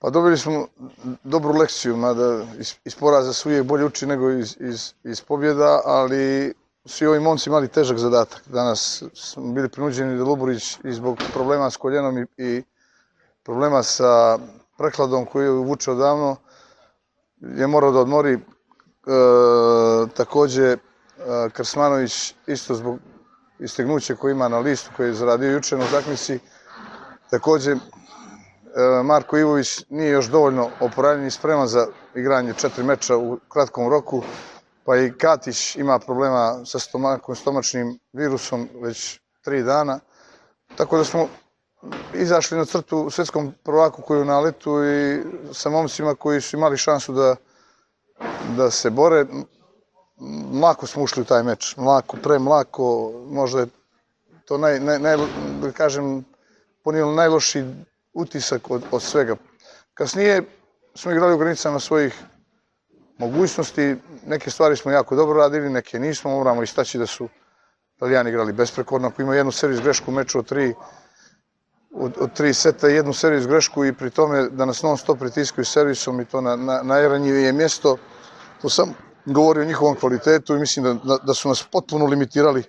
Pa dobili smo dobru lekciju, mada iz poraza se uvijek bolje uči nego iz pobjeda, ali svi ovi momci imali težak zadatak. Danas smo bili prinuđeni da Luburić i zbog problema s koljenom i problema sa prekladom koju je vuče odavno je morao da odmori. Također Krsmanović isto zbog istegnuća koje ima na listu koji je zaradio juče na utakmici. Također Marko Ivović nije još dovoljno oporavljen i spreman za igranje 4 meča u kratkom roku, pa i Katić ima problema sa stomačnim virusom već 3 dana. Tako da smo izašli na crtu u svjetskom prvaku koji je u naletu i sa momcima koji su imali šansu da se bore. Mlako smo ušli u taj meč, premlako, možda je to da kažem, ponijelo najlošiji utisak od svega. Kasnije smo igrali u granicama svojih mogućnosti, neke stvari smo jako dobro radili, neke nismo, moramo istaći da su Italijani igrali besprekorno. Ako ima jednu servis grešku u meču od 3 seta, jednu servis grešku i pri tome da nas non stop pritiskaju servisom i to na najranjivije mjesto, to sam govorio o njihovom kvalitetu i mislim da su nas potpuno limitirali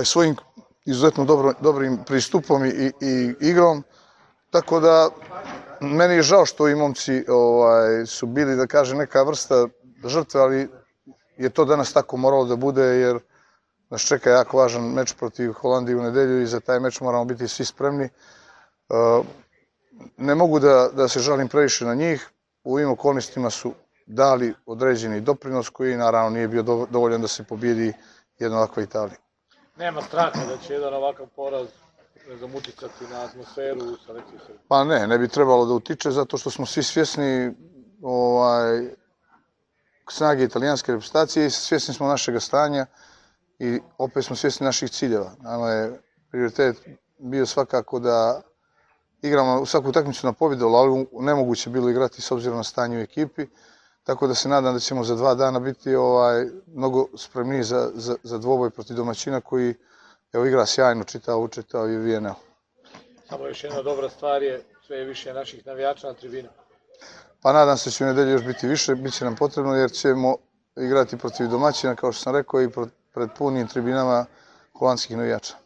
svojim izuzetno dobrim pristupom i igrom. Tako da meni je žao što i momci su bili, da kažem, neka vrsta žrtve, ali je to danas tako moralo da bude jer nas čeka jako važan meč protiv Holandije u nedelju i za taj meč moramo biti svi spremni. Ne mogu da se žalim previše na njih, u ovim okolnostima su dali određeni doprinos koji naravno nije bio dovoljan da se pobjedi jedna ovakva Italija. Nema straha da će jedan ovakav poraz uticati na atmosferu u selekciji Srbije? Pa ne bi trebalo da utiče zato što smo svi svjesni snage italijanske reprezentacije i svjesni smo našeg stanja i opet smo svjesni naših ciljeva. Nama je prioritet bio svakako da igramo svaku utakmicu na pobjedu, ali nemoguće bilo igrati s obzirom na stanje u ekipi. Tako da se nadam da ćemo za 2 dana biti mnogo spremniji za dvoboj protiv domaćina koji igra sjajno, učitao i VNL. Samo još jedna dobra stvar je sve više naših navijača na tribinama. Pa nadam se da će u nedelju još biti više, bit će nam potrebno jer ćemo igrati protiv domaćina, kao što sam rekao, i pred punim tribinama holandskih navijača.